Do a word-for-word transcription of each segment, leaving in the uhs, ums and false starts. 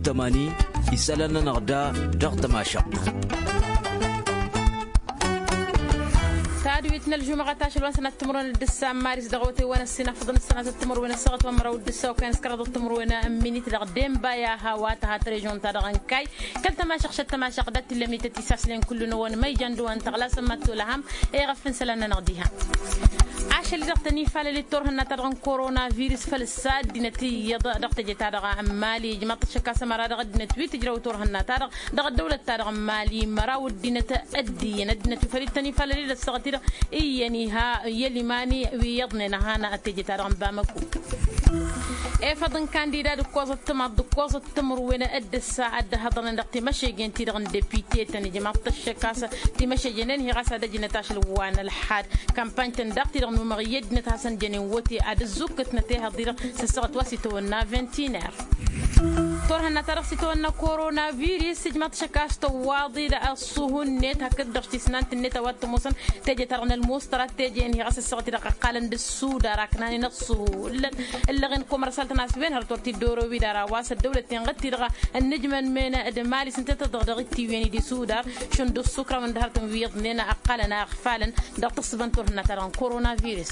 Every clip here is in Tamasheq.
Tămani isălan-nănăɣ da dăɣ-tămašăɣt. Tadwit n-ălžumăɣăt ašăl wa n-sănat timǝrwen d-ǝssa n-maris dăɣ-awătay wa n-ăssinafăḍăn ăssanat timǝrwen ăssaɣăt wa n-măraw d-ǝssa okăyăn s-kăraḍăt timǝrwen n-minit dăɣ-denbaya hawatăha tărăžon-ta-dăɣ n-kay kăl-tămašăɣt šăt tămašăɣt dat-tillămnităt isaslăn kullu n-ăwăn măyjan d-ăwăn tăɣlasăn mad-tolăhăm. Eɣăf n-isălan-nănăɣ diha ašăl-i-dăɣ tăn-ifalăl d-turhǝnna-ta-dăɣ n-korona virus făl ǝssa ăddinăt iyyăḍ dăɣ-teje-ta-dăɣ n-mali ijmaḍ-t ăššăk a-s ămăra dăɣ-ăddinăt wi tǝjrăw turhǝnna-ta-dăɣ dăɣ-ăddăwlăt-ta-dăɣ n-mali măraw ăddinăt ăddiyăn ăddinăt wi făl ităn ifalăl-i-dăɣ ăssaɣăt-i-dăɣ iyyăn iha i-ălimani wi iyyăḍnen ăhanăɣ teje-ta-dăɣ n-bamăku. Efăḍ n-kandida d-ǝkkoẓăt timaḍ d-ǝkkoẓăt timǝrwen d-ǝssa a dd-ăhhăḍărnen dăɣ-timăšegen-ti-dăɣ n-depite-tăn ijmaḍ-t ăššăk a-s timăšegen-en hi-ɣas ad-ăjnăt ašăl wa n-ălḥad. Kampany-tăn daɣ-ti-dăɣ număɣ i-ăddinăt hasăn-jănen wote ad-ăzzukkătnăt ehăḍ-i-dăɣ s-ăssaɣăt wa s-itawănna vingt-une heure. Turhǝnna-ta-dăɣ s-itawănna korona virus ijmaḍ-t ăššăk a-s tăwwaḍ-dd ăṣṣuhu-net hakd-dăɣ tisnant-net a-wa t-ămoosăn teje-ta-dăɣ n-ălmustra teje-en hi-ɣas ăssaɣăt-i-dăɣ ăqqalăn d-ăssudar aknanen ăṣṣuhu ǝllăɣen komărsal-tăn a-s wen hărăt wăr t-dd-oro wi d-ara wa s-ăddăwlăt tenɣăt-ti-dăɣ ănnǝjmăn men d-mali s-ǝnta tăḍăɣ dăɣ-ittiwen-i d-isudar šund ǝṣṣukra wǝndăhărătăn wi iyyăḍnen ăqqalăn a ăɣfalăn dăɣ-tǝssǝbăn turhǝnna-ta-dăɣ n-korona virus.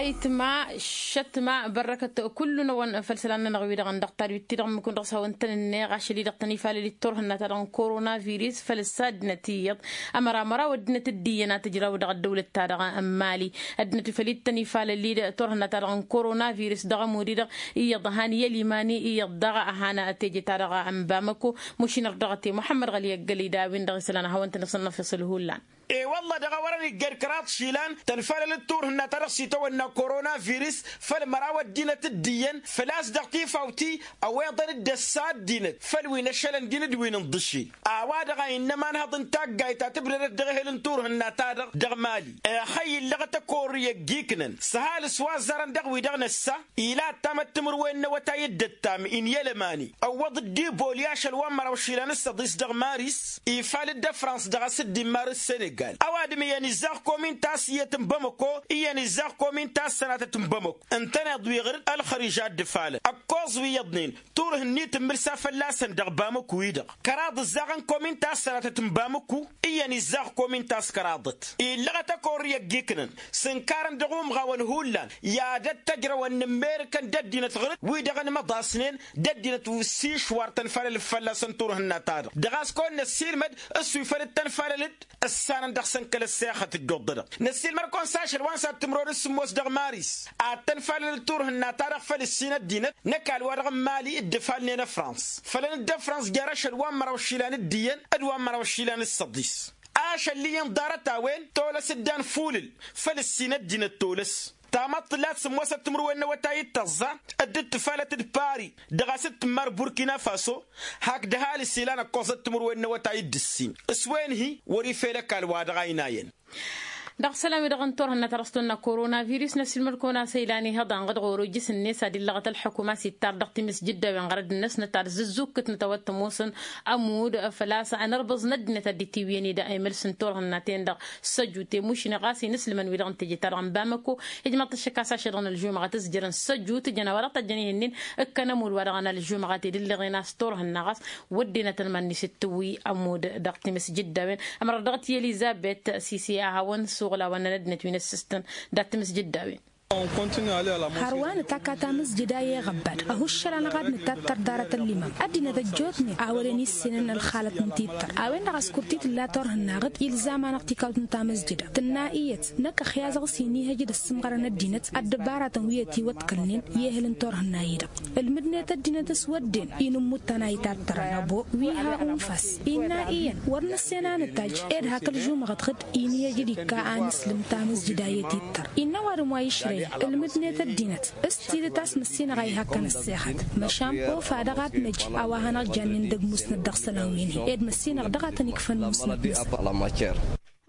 Ayǝtma šătma bărrăkăt kullu-năwăn făll-isălan-nănăɣ-wi-dăɣ n-dăɣ-tadwit-ti-dăɣ ǝmmǝk-wen dăɣ-s hawăn-tăn-ǝnneɣ ašăl-i-dăɣ tăn-ifalăl d-turhǝnna-ta-dăɣ n-korona virus făll-ǝssa ăddinăt iyyăḍ ămăra măraw ăddinăt dd-iyyăn a tǝjraw dăɣ-ăddăwlăt-ta-dăɣ n-mali. Ăddinăt wi făl ittăn ifalăl-i-dăɣ turhǝnna-ta-dăɣ n-korona virus dăɣ-ămud-i-dăɣ iyyăḍ ăhan i-ălimani iyyăḍ daɣ ăhan teje-ta-dăɣ n-bamăko. Mušin ărdăɣăt i-muḥămmăd ɣăli ăggălăy d-a-wen-dăɣ isălan ad-hawăn-tăn-issănnăfeṣ ǝlhullan. E-wălla dăɣ-a wărăn iggăr kăraḍ išilan tăn-falălăt turhǝnna-ta-dăɣ s-itawănna korona virus făll-măraw ăddinăt dd-iyyăn făl-a-s dăɣ-tifawt-i ăweḍăn-dd ăssa ăddinăt făll-wi n-ašăl ăndin d-wi n-inḍǝšel. A-wa-dăɣ a innă ămanhăḍ n-taggayt ta tǝbdădăt dăɣ-ehel n-turhǝnna-ta-dăɣ dăɣ-mali. Exăy illăɣăt ăkorr i-ăgg-iknăn s-ăhalǝs wa ăzzarăn dăɣ-wi-dăɣ năssa ila ăttamăt timǝrwen n-awătay dd-ăttam inyălămani ăwwăḍ-dd iboli ašăl wa n-măraw išilan s-săḍis dăɣ-maris ifal-dd ăfrans dăɣ-asǝddin marǝs senegal ăwadǝm iyyăn izzaɣ komin ta s-iyyăt n-bamăko iyyăn izzaɣ komin ta s-sănatăt n-bamăko. Ǝntăneḍ wi ɣǝr-dd ălxărij a dd-ǝfalăn ăkkoẓ wi iyyăḍnen turhǝnni tǝmmǝlsa fălla-săn dăɣ-bamăku-i-dăɣ kăraḍ ǝzzaɣăn komin ta s-sănatăt n-bamăku. Iyyăn izzaɣ komin ta s-kăraḍăt illăɣăt ăkorr i-ăgg-iknăn s-ǝnkarăn dăɣ-umɣawăn hullan i-ad-ăttăjrăwăn n-ǝmmerǝkăn d-ăddinăt ɣǝr-dd wi-dăɣ ănmăḍasnen d-ăddinăt s-išwar tăn-falălăt fălla-săn turhǝnna-ta-dăɣ dăɣ-a-s kăwăn-năssiilmăd s-wi făl dd-tăn-falălăt ǝssanăn dăɣ-săn kăl-ăssexăt ǝjjuḍ-dăɣ. Năssiilmăd-kăwăn s-ašăl wa n-sad-timǝrwen s-sǝmmos dăɣ-maris ad-tăn-falălăt turhǝnna-ta-dăɣ făll-ǝssin ăddinăt n-ăkall-wa-dăɣ n-mali dd-ǝfalnen ăfrans fălăn-dd ăfrans jer-ašăl wa n-măraw išilan d-iyyăn d-wa n-măraw išilan s-săḍis. Ašăl-i-in ḍarăt-a-wen tolăs dd-anfulǝl făll-ǝssin ăddinăt tolăs. Tamăḍt tǝllat sǝmmosăt timǝrwen n-awătay d-tăẓẓa dd-tǝfalăt d-pari dăɣ-a-s dd-tǝmmar burkina faso. Hak d-ăhalǝs ilan ăkkoẓăt timǝrwen n-awătay d-ǝssin s-wen-hi wăr-ifel ăkall-wa-dăɣ a inayăn. Dăɣ-isălan-wi-dăɣ n-turhǝnna ta dăɣ-s tonna korona virus năssiilmăd-kăwăn a-s ăylan ihăḍan ɣǝd ɣur-ojjǝs-net ad-illăɣăt ălḥukuma s-ittar dăɣ-timǝsjǝddawen ɣărăd-năsnăt ad-zǝzzukkǝtnăt a-wa t-ămoosăn ămudd făl-a-s anărbăẓ n-ăddinăt ad-dd-itiwǝyăn-dd emǝls n-turhǝnna-ten-dăɣ. Săjut i-mušni ɣas inǝslǝmăn-wi-dăɣ n-teje-ta-dăɣ n-bamăko ijmăḍ-t ăššăk a-s ašăl-dăɣ n-ălžumăɣăt s-jărăn săjut jăn a-wa dăɣ-tăjjăn ihǝnnin. Ǝkkăn ămudd wa dăɣ-anălžumăɣăt i-dǝllăɣen a-s turhǝnna ɣas wăddenăt ălman-net d-tǝwwi ămudd dăɣ-timǝsjǝddawen. Ămărăt dăɣ-t i-elizăbet sisi a hawăn-suɣǝl a-wa n-ăddinăt wi n-ăssistăn dat-timǝsjǝddawen. Hărwa nǝtakka tamǝzjǝda i-eɣăbbad ăhuššăl-anăɣ ad-nǝtattăr ḍarăt ăllimăm ăddinăt ăjjootnen a wăren issinen ălxalăt n-tittăr. A-wen-dăɣ a-s kurtit ǝlla turhǝnna ɣǝd ilzam-anăɣ tikawt n-tamǝzjǝda tǝnna iyyăt năkk ăxya a-s inihăj d-ăssǝmɣărăn ăddinăt ăddăbaratăn wi ătiwăḍkălnen i-ehăl n-turhǝnna-i-dăɣ. Ǝlmǝdnet ăddinăt s-wădden inǝmmuttan a itattărăn ăbo wi ha unfas innă iyyăn wăr nǝssen a nǝtajj ed hak ălžumăɣăt ɣǝd inihăj d-ikka a nǝslǝm tamǝzjǝda i-tittăr. Innă ăwadǝm wa išrăyăn ǝlmǝdnet ăddinăt s-tidǝt a-s măssinăɣ a ihakkăn ăssexăt măšan ofa dăɣ-ad-năj a-wa hanăɣ-jannen d-ăgg musnăt dăɣ-isălan wi-nin ed măssinăɣ dăɣ-a tăn-ikfăn musnăt-năsăn.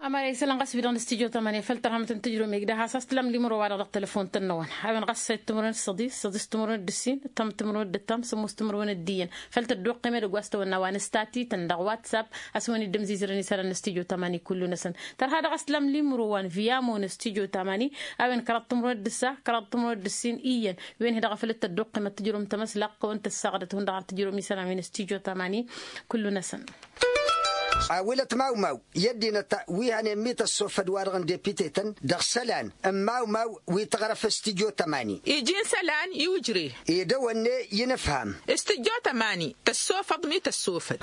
Amăra isălan ɣas wi-dăɣ n-studyo tămani făl tărhămăt n-tǝjrǝwem igdăh a-s a-s tǝlam limǝrǝw-wa-dăɣ dăɣ-telăfon-tăn-năwăn a-wen ɣas săyt timǝrwen d-săḍis săḍis timǝrwen d-ǝssin ǝttam timǝrwen d-ǝttam sămmos timǝrwen d-iyyăn. Făl tăddoqqem edăgg wa s-tawănna wa n-ǝstatităn dăɣ-whatsapp a-s wăn-dd-ǝmzizărăn isălan n-studyo tămani kullu-năsăn. Tărha dăɣ-a-s tǝlam limǝrǝw wa n-viyamo n-studyo tămani a-wen kăraḍ timǝrwen d-ǝssa kăraḍ timǝrwen d-ǝssin iyyăn. Wen-hi-dăɣ a făl dd-tăddoqqem ad-tǝjrǝwem tamăslaqq a-wen tǝssaɣdăt hundăɣ ad-tǝjrǝwem isălan wi n-studyo tămani. Kullu-năsăn. A wălăt mawmaw i-ăddinăt wi hănen mi tăssofăd-wa-dăɣ n-depitetăn dăɣ-isălan n-mawmaw wi tăɣrăf studyo tămani. Iji n-isălan i-ujre. Edăwănne i-inǝfham. Studyo tămani tăssofăḍ mi tăssofăd.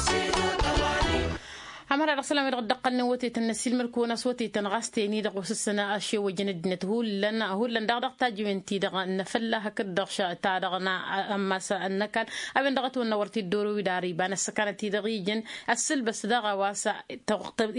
Amăra dăɣ-isălan wi-dăɣ dd-ăqqălnen wătetăn n-ăssiilmăd-kăwăn a-s wătetăn ɣas teni-dăɣ osǝssăn ašewăjăn ăddinăt hullan hullan daɣ dăɣ-tajǝwen-ti-dăɣ n-afălla hakd-dăɣ ta-dăɣ n-ammas n-ăkall. A-wen-dăɣ ătwănna wăr t-dd-oro wi d-ar iba n-ăssăkanăt-i-dăɣ ijăn ăssǝlbăs daɣ a-wa s-tăɣtăb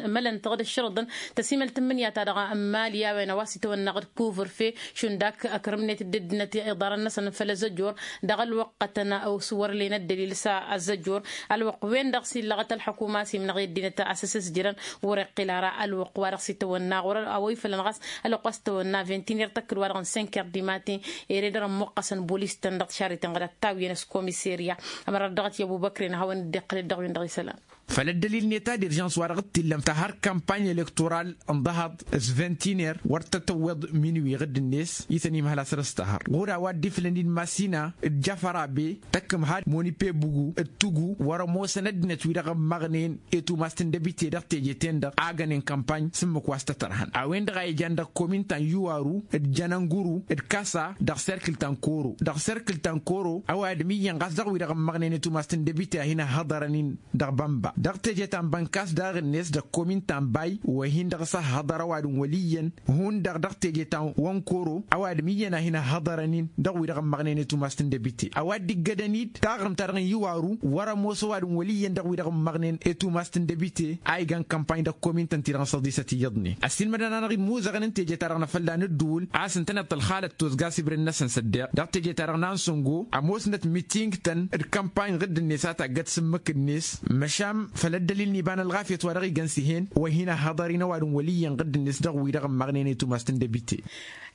imălăn-tăɣ d-ǝššărǝḍăn tăsimălt n-imǝnǝya-ta-dăɣ n-imali a-wen a-wa s-itwănna ɣǝd kuvǝrfe šund ak ăkrǝmnet dd-ăddinăt iḍarăn-năsăn făll-azăjor. Dăɣ-ălwăqqătăn s-wăr len ăddălil s-azăjor. Ălwăqq-wen-dăɣ s-illăɣăt ălḥukuma s-imnăɣ i-ăddinăt a-s ăssăsjărăn wăr-iqqǝl ara ălwăqq-wa-dăɣ s-itwănna ɣur-ăwăyfălăn ɣas ălwăqq wa s-itwănna vintinir tăkkǝd-wa-dăɣ n-senker dimaten. Ere dăr-ămmuqqăsăn bolis-tăn dăɣ-tišarriten ɣǝd ăttawǝyăn s-komiserya. Ămărat dăɣ-t i-ăbubăkren ad-hawăn-dd-iqqǝl-dd dăɣ-wen-dăɣ isălan. Făll-ăddălil-net ta d-iržans wa dăɣ-t-illăm tahăr kampany elektoral n-dăhăḍ s-ventiner wăr tătăwweḍ minwi ɣǝdd-net i-tăn-imhăl a săr-s tahăr ɣur-a-wa dd-iflăn-in masina d-jafărabe tăkkǝmhad monipe bugu d-tugu wăr-ămoosăn ăddinăt-wi-dăɣ ămmăɣnen i-tumast n-debite dăɣ-teje-ten-dăɣ a gănen kampany s-ǝmmǝk wa s-tătărhăn a-wen-dăɣ a ijan dăɣ-kominta n-iwaru d-jănănguru d-kasa dăɣ-serkǝl ta n-koro dăɣ-serkǝl ta n-koro ăwadǝm iyyăn ɣas dăɣ-wi-dăɣ ămmăɣnen i-tumast n-debite a hin-ăhhăḍărăn-in dăɣ-bănba dăɣ-teje ta n-bănkas daɣ-net dăɣ-kominta n-bay wa hin-dăɣ s-ăhhăḍăr ăwadǝm wăl' iyyăn hundăɣ dăɣ-teje ta n-koro ăwadǝm iyyăn a hin-ăhhăḍărăn-in dăɣ-wi-dăɣ ămmăɣnen i-tumast n-debite a-wa dd-iggădăn-dd taɣrǝmt-ta-dăɣ n-iwaru wăr-ămoos ăwadǝm wăl' iyyăn dăɣ-wi-dăɣ ǝmmăɣnen i-tumast n-debite a igan kampany dăɣ-komin-tăn-ti-dăɣ n-săḍisăt iyyăḍnen ăssiilmădăn-anăɣ-dd imuzăɣăn n-teje-ta-dăɣ n-afălla n-ǝddǝwǝl a-s ǝntăneḍ tălxalăt tozga s-ibrǝn-năsăn s-ăddeɣ dăɣ-teje-ta-dăɣ n-ansăngo ămoosnăt miting-tăn d-kampany ɣǝdd-net a taggăt s-ǝmmǝk-net măšan făll-ăddălil n-iba n-ălɣafyăt wa dăɣ-igănsǝhen wa hin-ăhhăḍăr-in ăwadǝm wăl' iyyăn ɣǝdd-net dăɣ-wi-dăɣ ǝmmăɣnen i-tumast n-debite.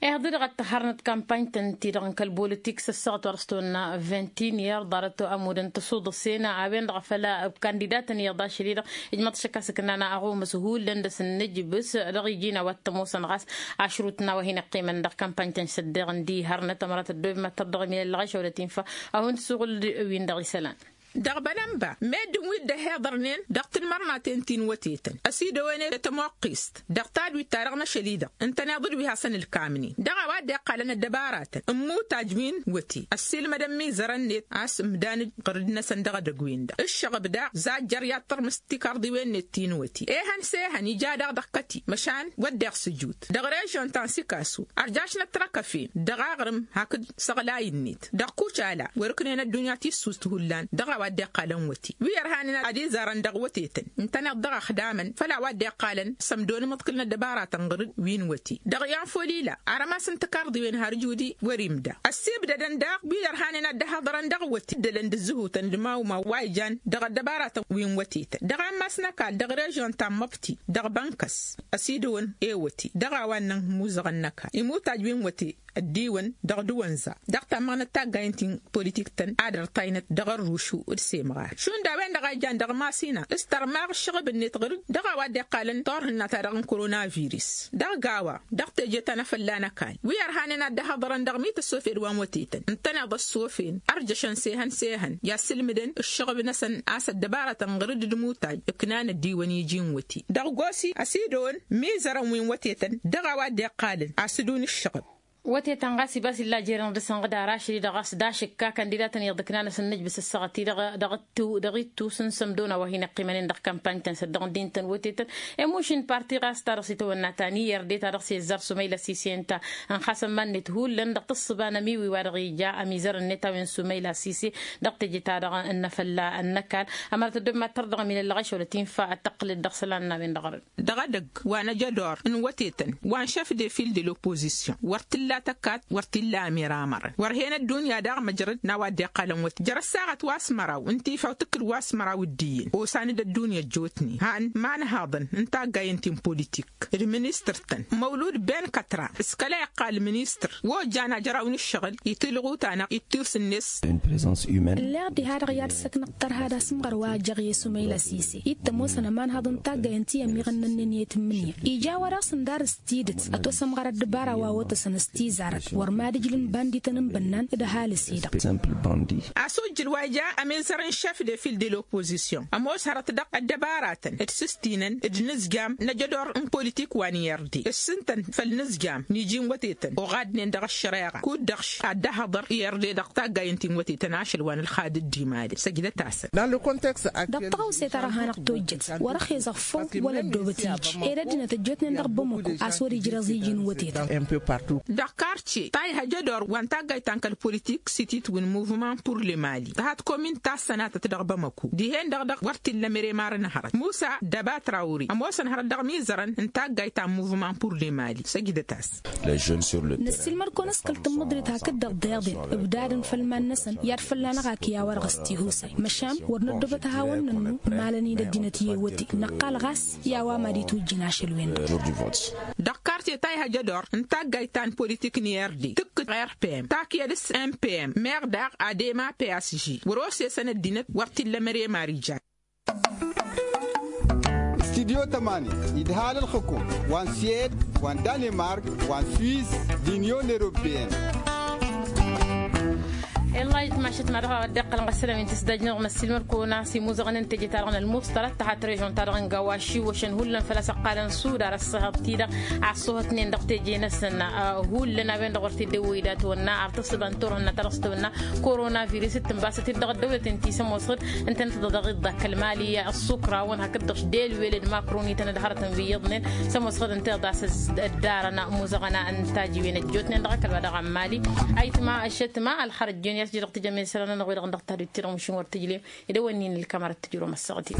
Ihăḍ-i-dăɣ ad-tăhhărnăt kampany-tăn-ti-dăɣ n-kăl-bolătik s-ăssaɣăt wa dăɣ-s tăwănna vintiniyăr ḍarăt ămudăn tăsuḍăsen a-wen-dăɣ a făl kandidatăn iyyăḍ ašăl-i-dăɣ ijmăḍ šăkk a-s ǝknan aɣumǝs hullan dăr-s n-inǝjbǝs dăɣ-iji n-a-wa t-ămoosăn ɣas ašrut n-a-wa hin-ăqqimăn dăɣ-kampany-tăn s-ăddeɣ n-di hărnăt ămărat ăddoobem ad-tărdăɣ imilăllăɣ ašăwlăt infa a hun-tǝsuɣǝl-dd ewin dăɣ-isălan. Dăɣ-bălănba meddǝn wi dd-ăhiḍărnen dăɣ-tǝlmărnaten ti n-wătetăn ăsidăwănen i-tămoqqist dăɣ-tadwit-ta-dăɣ n-ašăl-i-dăɣ ǝntăneḍ-dd wi hasăn-ǝlkamnen dăɣ-a-wa dd-iqqalăn ăddăbaratăn n-imutaj wi n-wăte ăssiilmădăn imizărăn-net a-s ǝmdan-dd ɣǝrǝd-năsăn dăɣ-edăgg-wen-dăɣ ǝššăɣăb daɣ zajjăr i-ad-tărmǝs tikarḍiwen-net ti n-wăte ehăn s-ehăn ija daɣ dăɣ-kăti măšan wădden s-ǝjut dăɣ-režion ta n-sikasu ărjašnăt tărăkăfen dăɣ-aɣrǝm hakd săɣlay-net dăɣ-kucala wăr-ǝknen ăddunya tissust hullan dăɣ-a-wa dd-iqqalăn wăte wi ărhanen ad-izarăn dăɣ-wătetăn ǝntăneḍ dăɣ-ăxdamăn făll-a-wa dd-iqqalăn sămdon imǝḍkǝl n-ăddăbaratăn ɣǝr-dd wi n-wăte dăɣ-i anfăl ila arămas n-tikarḍiwen har ǝjudi wăr-imda ăssibdădăn daɣ wi ărhanen ad-dd-ăhhăḍărăn dăɣ-wăte ǝddălăn d-ǝzzǝhutăn d-imawmaw wa ijan dăɣ-ăddăbaratăn wi n-wătetăn dăɣ-ammas n-ăkall dăɣ-režion ta n-măbti dăɣ-bănkăs ăsidăwăn i-wăte dăɣ-a-wa ǝnnăn imuzăɣăn n-ăkall imutaj wi n-wăte ăddiwăn dăɣ-dăwănza dăɣ-tammăɣnăt taggayen ti n-politik-tăn ad-ărtaynăt dăɣ-ărrušu d-semɣar šund a-wen-dăɣ a ijan dăɣ-masina s-tărmaɣ ǝššăɣǝb-net ɣǝr-dd dăɣ-a-wa dd-iqqalăn turhǝnna-ta-dăɣ n-koronavirus dăɣ-gawa dăɣ-teje ta n-afălla n-ăkall wi ărhanen ad-dd-ăhhăḍărăn dăɣ-mi tăssofed wa n-wătetăn ǝntăneḍ ăssofen ărjăšăn s-ehăn s-ehăn i-asǝlmǝdăn ǝššăɣǝb-năsăn a-s ăddăbarătăn ɣǝr-dd d-imutaj ǝknan ăddiwăn iji n-wăte dăɣ-gosi ăsidăwăn imizărăn wi n-wătetăn dăɣ-a-wa dd-iqqalăn asǝdun ǝššăɣǝb. Wătetăn ɣas ibas illa jer-inǝḍǝsăn ɣǝd ara ašăl-i-dăɣ ɣas d-ašǝkka kandidatăn iyyăḍ ǝknanăs n-inǝjbǝs ăssaɣăt-i-dăɣ dăɣ-ittus n-sămdona wa hin-ăqqimănen dăɣ-kampany-tăn s-ăddăɣ ǝndin-tăn wătetăn. Emuš n-parti ɣas ta dăɣ-s itawănna ta n-iyyăr de ta dăɣ-s izzar sumăyla sise ǝnta ănxasăn iman-net hullan dăɣ-tǝssǝba n-amiwi-wa-dăɣ ija amizărăn-net a-wen sumăyla sise dăɣ-teje ta dăɣ-n-afălla n-ăkall. Ămărăt ăddob mad-tărdăɣ ămilăllăɣ ašăwlăt infa ad-tăqqǝlăt dăɣ-isălan n-a-wen-dăɣ ărăd. Dăɣ-edăgg wa n-ajădor n-wătetăn wa n-šef de fil de lopozisyon wăr t-illa. tăkkat wăr t-illa ămiramărăn wăr hen ăddunya daɣ măjrăd n-a-wa dd-iqqalăn wăt-i jăr-ăssaɣăt wa s-măraw n-tifawt ǝkkǝl wa s-măraw d-iyyǝn osan d-ăddunya ăjjootnen han imanhaḍăn n-taggayen ti n-politik d-ministăr-tăn măwlud ben kătra s-kăla iqqal ministăr wa ojjan ajăraw n-ǝššăɣǝl itilɣu-tanăɣ ittus-net. Ǝlleɣ diha-dăɣ i-ad-săknăɣ tărha d-asǝmɣăr wa ăjjăɣ i-sumăyla sise ittăm osăn ămanhaḍăn n-taggayen ti ămmiɣăn n-ănnăniyăt n-imǝnǝya ija a-wa dăɣ-săn darǝs tidǝt ătwăsămɣăr ăddăbara wa otăsăn s-tizarăt wăr mad-ǝjlǝn bandităn n-bănnan d-ăhalǝs-i-dăɣ. A-s ojjǝl wa ija ămizăr n-šef de fil de lopozisyon ămoos hărăt dăɣ-ăddăbaratăn d-sǝstinăn d-inǝzjam n-ajădor n-politik wa n-irde s-ǝntăn făll-inǝzjam n-iji n-wătetăn oɣadnen dăɣ-ăššăreɣa kud-dăɣ š-ad-dd-ăhăḍăr irde dăɣ-taggayen ti n-wătetăn ašăl wa n-ălxad d-imali săjdăt-asăn. Dăɣ-tăɣawse ta dăɣ-hanăɣ-tojjăt wăr-ăxezăɣ făw wăla ăddoobăt iji ed ăddinăt ăjjootnen dăɣ-bamăko a-s wăr-ijrăẓ iji n-wătetăn. Dăɣ-kartye tayha jădor wa n-taggayt ta n-kăl-politik s-ititwǝn muvman pur lemali tăhat komin ta s-sănatăt dăɣ-bamăko dihen-dăɣ dăɣ-wăr t-illa mere marăn hărăt musa dăbatra ori ămoosăn hărăt dăɣ-mizărăn n-taggayt ta n-muvman pur lemali săjdăt-as. Năssiilmăd-kăwăn s-kăl-tǝmmǝḍrit hakd-dăɣ deɣden ǝbdadăn făll-iman-năsăn i-ad-fălla-năɣ akǝy a-wa-dăɣ s-tihusay măšan wăr năddobăt ad-hawăn-nănnu malăn-in ăddinăt i-ewăte năqqal ɣas i-a-wa mad-itwǝjjǝn ašăl-wen-dăɣ. Dăɣ-kartye tayha jădor n-taggayt ta n-politik n-irde tǝkkǝt rpm takǝyăd s-mpm meɣ daɣ ad-ema psg wăr-osesăn ăddinăt wăr t-illa măre mari jan. Studyo tămani idhal ălxǝkum wa n-siyed wa n-danimark wa n-swiss d-inyon europeyăn. Illahi tmašat ma dăɣ-a dd-iqqălăn ɣăssălăm inti s-dajnăɣ năssiilmăd-kăwăn a-s imuzăɣăn n-teje-ta-dăɣ n-ălmuṣṭălat tăhat režon-ta-dăɣ n-gawaši wăšăn hullan făl-a-s ăqqalăn sudar ăṣṣăhăḍ-ti-dăɣ a ăṣṣuhătnen dăɣ-teje-năsăn. Hullan a-wen-dăɣ wăr t-dd-ewwăy datăwănna ar tăsdăd n-turhǝnna ta dăɣ-s tăwănna korona virus d-tǝnbasăt-dd dăɣ-ăddăwlăten ti s-ămoosăɣ ǝntănăt dăɣ-iḍḍa kăl-mali ăṣṣukrawăn hakd-dăɣ š-delweled makroni-tăn d-hărătăn wi iyyăḍnen s-ămoosăɣ ǝnta iḍas ăddarăn muzăɣăn n-tajiwen ăjjootnen dăɣ-akăl wa dăɣ-ămmali. Ayǝtma ăššătma ălxărăt jon i-ad-s jădăɣ tijămmen isălan-nănăɣ wi-dăɣ n-dăɣ-tadut-ti-dăɣ măšin wăr tǝjlem. Ed ăwănnin ǝlkămărăt tǝjrǝwăm ăssaɣăt-in.